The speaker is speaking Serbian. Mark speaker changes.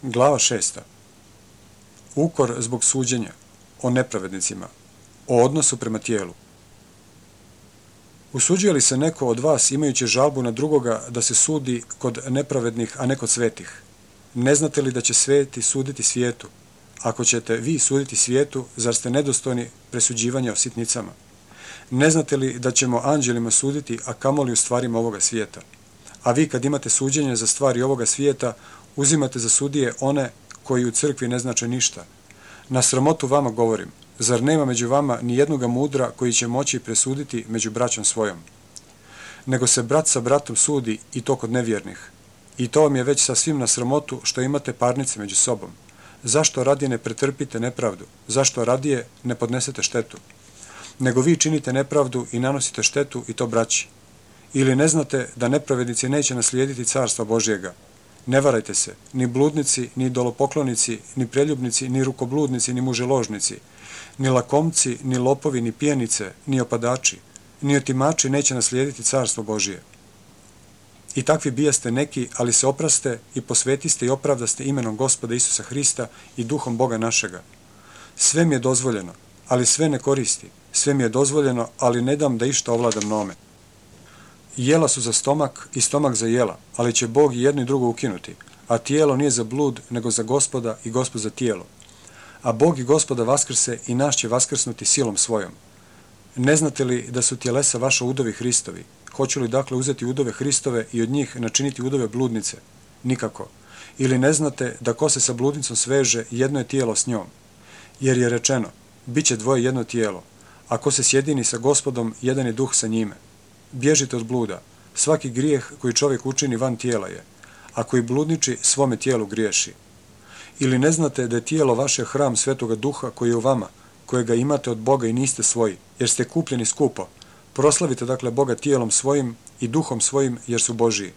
Speaker 1: Glava 6. Ukor zbog suđenja, o nepravednicima, o odnosu prema tijelu. Usuđuje li se neko od vas imajući žalbu na drugoga da se sudi kod nepravednih, a ne kod svetih? Ne znate li da će sveti suditi svijetu? Ako ćete vi suditi svijetu, zar ste nedostojni presuđivanja o sitnicama? Ne znate li da ćemo anđelima suditi, a kamoli u stvarima ovoga svijeta? A vi kad imate suđenje za stvari ovoga svijeta, uzimate za sudije one koji u crkvi ne znače ništa. Na sramotu vama govorim, zar nema među vama ni jednoga mudra koji će moći presuditi među braćom svojom? Nego se brat sa bratom sudi i to kod nevjernih. I to vam je već sasvim na sramotu što imate parnice među sobom. Zašto radije ne pretrpite nepravdu? Zašto radije ne podnesete štetu? Nego vi činite nepravdu i nanosite štetu i to braći. Ili ne znate da nepravednici neće naslijediti carstva Božjega? Ne varajte se, ni bludnici, ni idolopoklonici, ni preljubnici, ni rukobludnici, ni muželožnici, ni lakomci, ni lopovi, ni pijenice, ni opadači, ni otimači neće naslijediti carstvo Božje. I takvi bijaste neki, ali se opraste i posvetiste i opravdaste imenom Gospoda Isusa Hrista i duhom Boga našega. Sve mi je dozvoljeno, ali sve ne koristi. Sve mi je dozvoljeno, ali ne dam da išta ovladam nome. Jela su za stomak i stomak za jela, ali će Bog i jedno i drugo ukinuti, a tijelo nije za blud, nego za Gospoda i Gospod za tijelo. A Bog i Gospoda vaskrse i nas će vaskrsnuti silom svojom. Ne znate li da su tjelesa vaša udovi Hristovi? Hoću li dakle uzeti udove Hristove i od njih načiniti udove bludnice? Nikako. Ili ne znate da ko se sa bludnicom sveže, jedno je tijelo s njom? Jer je rečeno, bit će dvoje jedno tijelo, a ko se sjedini sa Gospodom, jedan je duh sa njime. Bježite od bluda. Svaki grijeh koji čovjek učini van tijela je, a koji bludniči svome tijelu griješi. Ili ne znate da je tijelo vaše hram Svetoga Duha koji je u vama, kojega imate od Boga i niste svoji, jer ste kupljeni skupo. Proslavite dakle Boga tijelom svojim i duhom svojim, jer su Božiji.